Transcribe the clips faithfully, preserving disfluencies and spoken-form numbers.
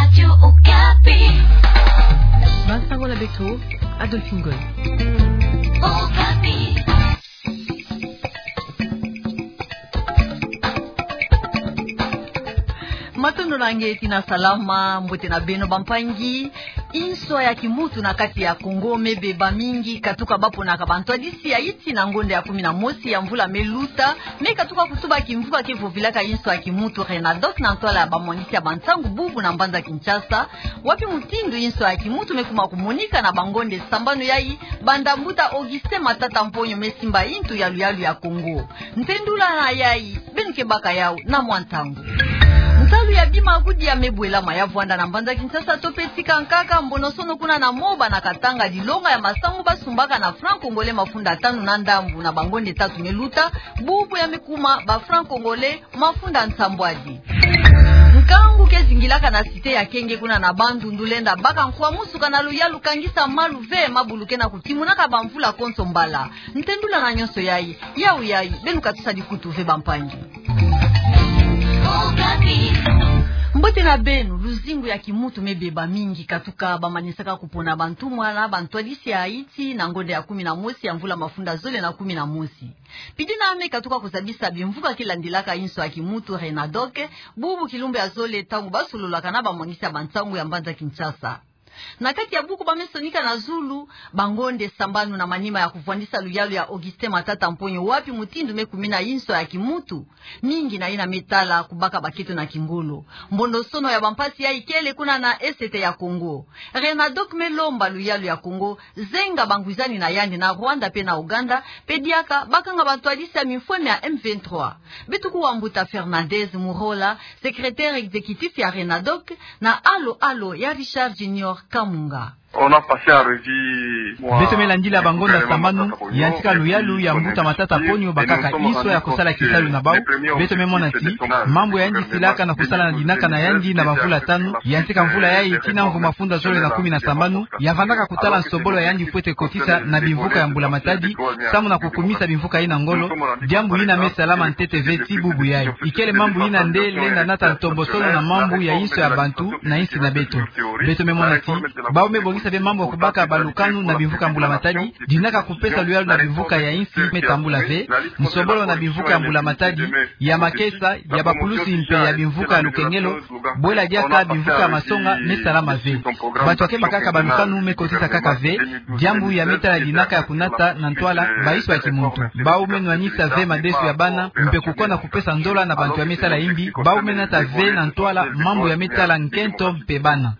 Radio Okapi. Bansango na beto, Adolphine Goy. Okapi. Matondo na nge, tina salama, mbote na beno bampangi. Inswa ya kimutu na kati ya Kongo mebeba mingi, katuka baponaka bantwadisi ya iti na ngonda ya kumi na mosi ya mvula meluta, me katuka kutuba kimvuka ke vovilaka inswa ya kimutu Renadoc na ntwala ya bamwangisi ya bansangu bubu na mbanza Kinshasa, wapi mutindu inswa ya kimutu mekuma kumonika na bangonda sambanu yayi, banda mbuta Augustin Matata Mponyo mesimba intu ya luyalu ya Kongo. Ntendula na yayi, beno ke baka yawu na mwa ntangu. Nsalu ya bima kudi ya mebwelama ya vwanda na mbanza Kinshasa to pe tika nkaka, mbonosono kuna na Moba na Katanga, dilonga ya masangu basumbaka na franc congolais mafunda tanu na ndambu na bangonda tatu meluta, bubu ya mekuma ba franc congolais mafunda nsambwadi. Nkangu ke zingilaka na cité ya Kenge kuna na Bandundu lenda baka nkwamusuka na luyalu kangisa malu ve, mabulu ke na kutimunaka bamvula konso mbala. Ntendula na nyonso yayi, yawu yayi, beno katusa dikutu ve bampangi. Mbote na beno. Luzingu ya kimutu mebeba mingi, katuka bamanisaka kupona bantumwa na bantwadisi ya iti na ngonda ya kumi na mosi ya mvula mafunda zole na kumi na mosi. Pidi na me katuka kuzabisa bimvuka ke landilaka inswa ya kimutu Renadoc, bubu kilumbu ya zole ntangu basololaka na bamwangisi ya bansangu ya mbanza Kinshasa. Na kati ya buku bamesonika na zulu, bangonda sambanu na manima ya kuvwandisa luyalu ya Augustin Matata Mponyo, wapi mutindu mekumina inswa ya kimutu, mingi na yina metala kubaka baketo na kingolo. Mbonosono ya bampasi yayi kele kuna na Est ya Kongo. Renadoc melomba luyalu ya Kongo zenga bangwizani na yandi na Rwanda pe na Uganda, pe diaka bakanga bantwadisi ya mimfweme ya M vingt-trois. Beto kuwa mbuta Fernandez Murola, secrétaire exécutif ya Renadoc, na alo alo ya Richard Junior Kamunga. On a passé en revue, moi, beto melandila bangonda sambanu, yantika luyalu ya mbuta Matata Mponyo bakaka inswa ya kusala kisalu na bawu. Beto memona ti mambu yandi silaka na kusala na dinaka na yandi na bamvula tanu, yantika mvula yayi tina mvu mafunda zole na kumi na sambanu, yavandaka kutala nsobolo ya yandi fwete kotisa na bimvuka ya Mbula Matadi, samu na kukumisa bimvuka yina ngolo, diambu yina mesalama ntete ve ti bubu yayi. Ikele mambu yina nde lenda nata ntombosono na mambu ya inswa ya bantu na insi na beto. Beto memona ti bawu mebongisa ve mambu ya kubaka balukanu na bimvuka ya Mbula Matadi, dinaka kupesa luyalu na bimvuka ya insi metambula ve, nsobolo na bimvuka ya Mbula Matadi, ya makesa, ya bapulusi mpe ya bimvuka ya lukengelo, bwela diaka bimvuka ya masonga mesalama ve. Bantu ya kemba kaka balukanu mekotisa kaka ve, diambu ya metala dinaka ya kunata na ntwala bainswa ya kimuntu. Bawu menwanisa ve madesu ya bana, mpe kukona kupesa nzola na bantu ya metala imbi, bawu menata ve na ntwala mambu ya metala nkento mpe bana.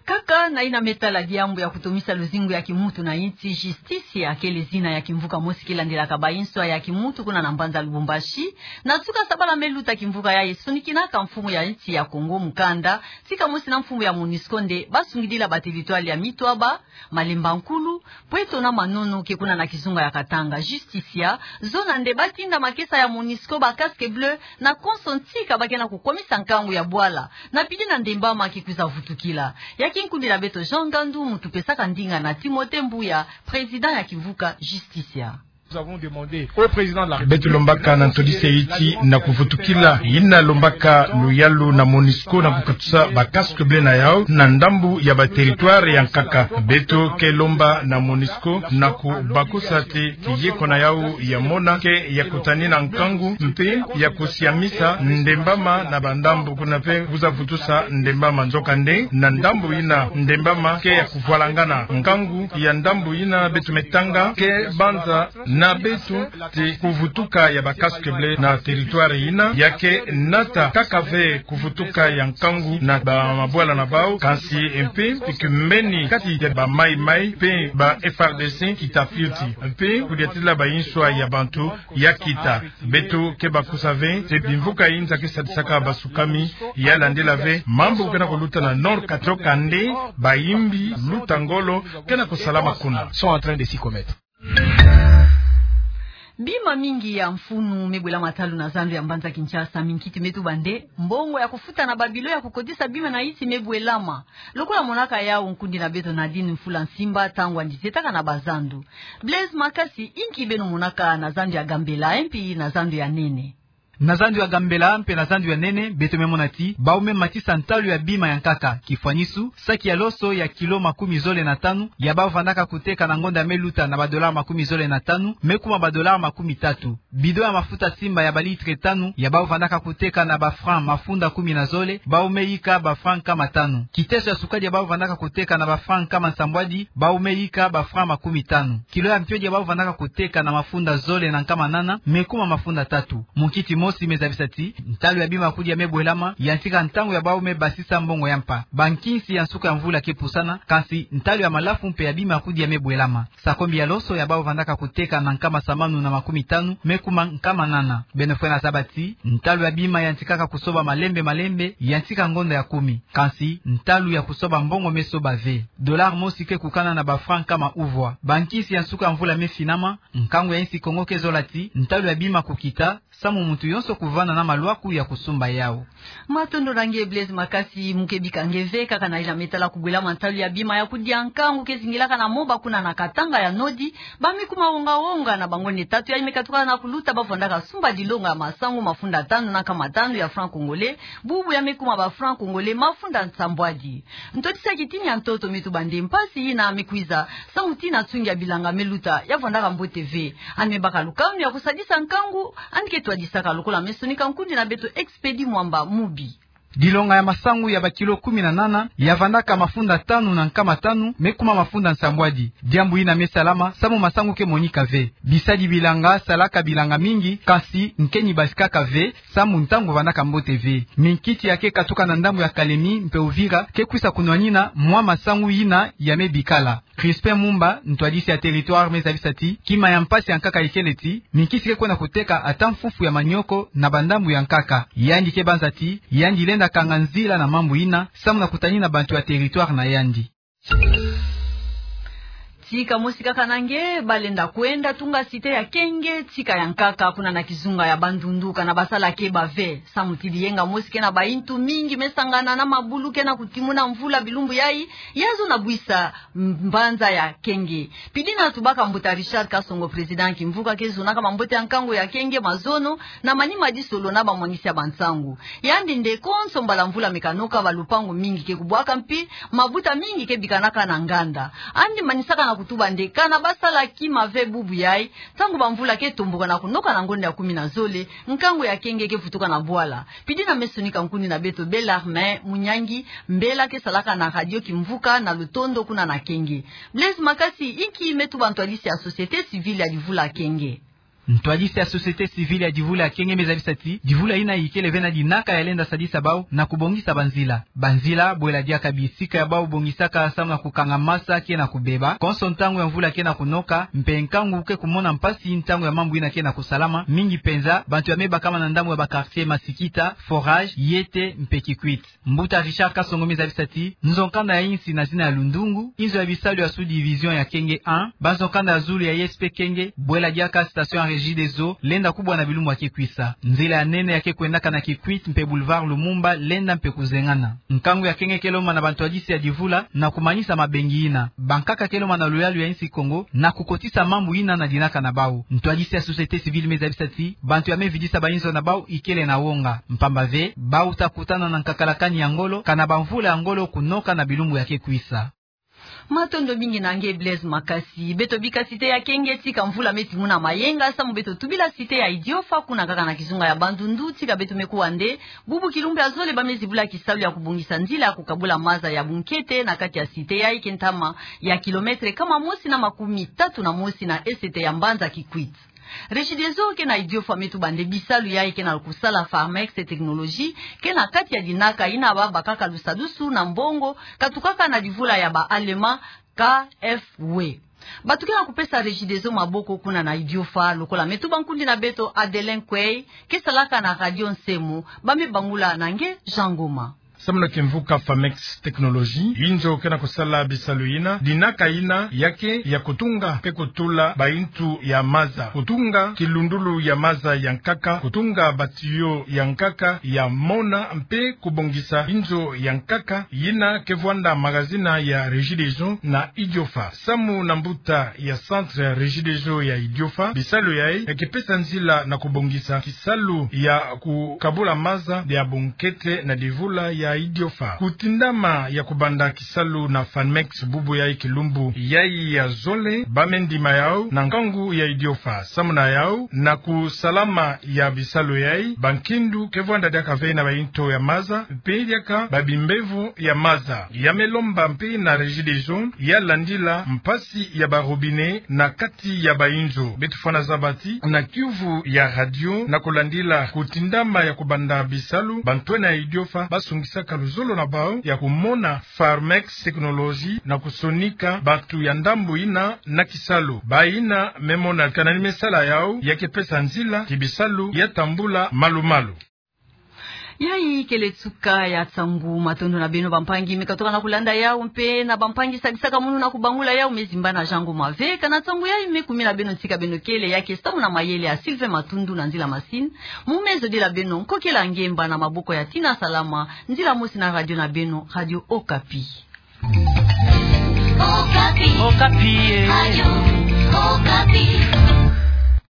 Kaka na yina metala diambu ya kutomisa luzingu ya kimuntu na insi, Justicia kele zina ya kimvuka mosi ke landilaka bainswa ya kimuntu kuna na mbanza Lubumbashi. Na nsuka sabala meluta kimvuka yayi sonikinaka mfumu ya insi ya Kongo mukanda, tika mosi na mfumu ya MONUSCO nde basungidila ba territoire ya mitwaba, Malemba Nkulu, Pweto na Manono ke kuna na kizunga ya Katanga. Justicia zona nde batinda makesa ya MONUSCO ba casque bleu na konso ntika ba ke na kukwamisa nkangu ya bwala, na pidi na Ndembama ke kwiza vutukila. Ya kinkundila beto Jean Ngandu, muntu pesaka ndinga na Timothée Mbuya, président ya kimvuka Justicia. Nous avons demandé au président de la République. Beto lombaka na ntwadisi ya insi na kuvutukila yina lombaka luyalu na MONUSCO na kukatusa ba casque bleu na yawu na ndambu ya ba territoire ya nkaka. Beto ke lomba na MONUSCO na kubakusa ti kiyeko na yawu ya mona ke ya kutani na nkangu mpe ya kusiamisa Ndembama na bandambu kuna mpe kwiza vutusa Ndembama. Nzokande na ndambu yina Ndembama ke ya kuvwalangana, nkangu ya ndambu yina beto metanga ke banza na beto ti kuvutuka ya ba casque bleu na territoire yina ya ke nata kaka ve kuvutuka ya nkangu na ba mabwala na bawu, kansi mpe ti kimbeni kati ya ba Mai Mai mpe ba F A R D C kita fioti mpe kudiatila bainswa ya bantu ya kita. Beto ke bakusa ve ti bimvuka yina ke sadisaka basukami ya landila ve mambu ke na kuluta na nord, kati nzoka nde bayimbi luta ngolo ke na kusalama kuna, sont en train de s'y commettre. Bima mingi ya mfunu mebwelama talu na zandu ya mbanza Kinshasa. Minkiti metuba nde mbongo ya kufuta na ba bilo ya kukotisa bima na insi mebwelama. Lokola monaka yawu nkundi na beto Nadine Mfula Nsimba, ntangu yandi zetaka na bazandu. Blaise Makasi, inki beno monaka na zandu ya Gambela, mpi na zandu ya Nene? Na zandu ya Gambela mpe na zandu ya Nene, beto me mona ti bau me matisa ntalu ya bima ya nkaka. Kifwanisu, saki ya loso ya kilo makumi zole na tanu ya bau vandaka koteka na ngonda ya me luta na ba dollars makumi zole na tanu, me kuma ba dollars makumi tatu. Bidon ya mafuta simba ya ba litres tanu ya bau vandaka koteka na ba francs mafunda kumi na zole, bau me yika ba francs nkama tanu. Kiteso ya sukali ya bau vandaka koteka na ba francs nkama nsambwadi, bau me yika ba francs makumi tanu. Kilo ya mpiodi ya bau vandaka koteka na mafunda zole na nkama nana, me kuma mafunda tatu. Munkiti mosi me zabisa ti ntalu ya bima ya kudi ya me bwelama yantika ntangu ya bau me basisa mbongo ya mpa. Ba nkinsi ya nsuka ya mvula ke pusana, kansi ntalu ya malafu mpe ya bima ya kudi ya me bwelama. Sakombi ya loso ya bau vandaka koteka na nkama sambanu na makumi tanu, me kuma nkama nana. Beno fwena zaba ti ntalu ya bima yantikaka kosoba malembe malembe yantika ngonda ya kumi. Kansi ntalu ya kosoba mbongo me soba ve. Dollar mosi ke kukana na ba francs nkama uvwa. Ba nkinsi ya nsuka ya mvula me finama, nkangu ya insi Kongo ke zola ti ntalu ya bima kokita, samu muntu yonso kuvanda na malwaku ya kosumba yau. Matondo na nge Blaise Makasi. Mu ke bika nge ve, kaka na ila me tala kobwelama ntalu ya bima ya kudi ya nkangu ke zingilaka na Moba kuna na Katanga ya Nodi, ba me kuma wonga-wonga na ba ngonde tatu ya me katuka na kuluta ba vandaka sumba dilonga ya masangu mafunda tanu na nkama tanu ya francs congolais, bubu ya me kuma ba francs congolais mafunda nsambwadi. Ntwadisi ya kitini ya ntoto me tuba nde mpasi yina me kwiza, samu ti na nsungi ya bilanga me luta ya vandaka mbote ve. Yandi me baka lukanu ya kosadisa nkangu yandi ke twadisaka, lokola me sonika nkundi na beto Expedi Mwamba Mubi. Dilonga ya masangu ya ba kilo kumi na nana ya vandaka mafunda tanu na nkama tanu, me kuma mafunda nsambwadi. Diambu yina me salama samu masangu ke monika ve. Bisadi bilanga salaka bilanga mingi, kansi nke ni basikaka ve, samu ntangu vandaka mbote ve. Minkiti ya ke katuka na ndambu ya Kalemi mpe Uvira ke kwisa kunwanina mwa masangu yina ya me bikala. Crispin Mumba, ntwadisi ya territoire, me zabisa ti kima ya mpasi ya nkaka ikele ti minkiti ke kwenda koteka ata mfufu ya manioko na ba ndambu ya nkaka. Yandi ke banza ti yandi lenda kanga nzila na mambu yina, samu na kutanina bantu ya territoire na yandi. Tika mosi kaka na nge, ba lenda kwenda tunga cité ya Kenge tika ya nkaka kuna na kizunga ya Bandundu, kana ba sala ke ba ve. Samu ti biyenga mosi ke na bayintu mingi me sangana na mabulu ke na kutimuna mvula bilumbu yayi, ya zo na bwisa mbanza ya Kenge. Pidi na tubaka mbuta Richard Kasongo, président kimvuka ke zonaka mambote ya nkangu ya Kenge mazono, na manima disolo na bamwangisi ya bansangu. Yandi nde konso mbala mvula me kanoka, balupangu mingi ke kubwaka mpi mabuta mingi ke bikanaka na nganda. Yandi manisaka na kutuba nde kana ba sala kima ve bubu yayi, ntangu bamvula ke tomboka na kunoka na ngonda ya kumi na zole, nkangu ya Kenge ke vutuka na bwala. Pidi na me sonika nkundi na beto Bellarmin Munyangi, mbela ke salaka na radio kimvuka na Lutondo kuna na Kenge. Blaise Makasi, inki me tuba ntwadisi ya société civile ya divula Kenge? Ntwadisi ya société civile ya divula ya Kenge me zabisa ti divula yina ikele ve na dinaka ya lenda sadisa bau na kubongisa banzila. Banzila, bwela diaka bisika ya bau bongisaka samu na kukanga masa ke na kubeba, konso ntangu ya mvula ke na kunoka, mpe nkangu ke kumona mpasi ntangu ya mambu yina ke na kusalama, mingi penza bantu ya me bakama na ndambu ya ba quartier Masikita, Forage, Yete mpe Kikwit. Mbuta Richard Kasongo me zabisa ti nzo-nkanda ya insi na zina ya Lundungu, inzo ya bisalu ya sous-division ya Kenge un, banzo-nkanda ya zulu ya I S P Kenge, bwela diaka station ya Regideso, lenda kubwa na bilumbu ya ke kwisa. Nzila ya nene ya ke kwendaka na Kikwit mpe Boulevard Lumumba lenda mpe kuzengana. Nkangu ya Kenge ke lomba na bantwadisi ya divula na kumanisa mabengi yina. Bankaka ke lomba na luyalu ya insi Kongo na kukotisa mambu yina na dinaka na bau. Ntwadisi ya société civile me zabisa ti bantu ya me vidisa bainzo na bau ikele na wonga, mpamba ve bau ta kutana na nkakalakani ya ngolo, kana bamvula ya ngolo kunoka na bilumbu ya ke kwisa. Matondo mingi na nge Blaise Makasi. Beto bika cité ya Kenge tika mvula me timuna mayenga, samu beto tubila cité ya Idiofa, kuna kaka na kizunga ya Bandundu, tika beto me kuwa nde bubu kilumbu ya zole ba me zibula kisalu ya kubongisa nzila ya kukabula maza ya bunkete na kati ya cité yayi ke ntama ya kilomètre nkama mosi na makumi tatu na mosi na est ya mbanza Kikwit. Regideso ke na Idiofa me tuba nde bisalu yayi ke na kusala Farmex Technologie ke na kati ya dinaka yina ba bakaka lusadusu na mbongo katukaka na divula ya ba Allemand K F W. Bato ke na kupesa Regideso maboko kuna na Idiofa, lokola me tuba nkundi na beto Adelin Kwei, ke salaka na Radio Nsemo, ba me bangula na nge Jean Ngoma. Samu na kimvuka Farmex Technologie, inzo ke na kusala bisalu yina, dinaka yina ya ke ya kutunga mpe kutula baintu ya maza, kutunga kilundulu ya maza ya nkaka, kutunga batiyo ya nkaka ya mona, mpe kubongisa inzo ya nkaka yina ke vwanda magazini ya Regideso na Idiofa. Samu na mbuta ya centre ya Regideso ya Idiofa, bisalu yayi ya ke pesa nzila na kubongisa kisalu ya kukabula maza ya bunkete na divula ya Idiofa. Kutindama ya kubanda kisalu na Farmex bubu yayi kilumbu yayi ya zole, bamendima yau na nkangu ya Idiofa. Samu na yau, na kusalama ya bisalu yayi, bankindu ke vwanda diaka ve na baintu ya maza, mpe diaka babimbevo ya maza. Ya me lomba mpe na Regideso ya landila mpasi ya ba robinet na kati ya bainzo. Beto fwana zabati na kiuvu ya radio na kulandila kutindama ya kubanda bisalu, bantwenia ya Idiofa basungisaka luzolo na bau ya kumona Farmex Technologie na kusonika bantu ya ndambu yina na kisalu. Bayina me mona kana ni me sala yau, ya ke pesa nzila ti bisalu ya tambula malu-malu. Yayi kele nsuka ya nsangu. Matondo na beno bampangi me katuka na kulanda yau, mpe na bampangi sadisaka munu na kubangula yau, me zimbana Jean Ngoma ve. Kana nsangu yayi me kumina beno nsi ka beno kele, ya ke samu na mayele ya Sylvain Matundu na nzila machine. Mu me zodila beno, nkokila ngemba na maboko ya Tina Salama, nzila mosi na radio na beno, Radio Okapi. Okapi. Okapi, eh. Radio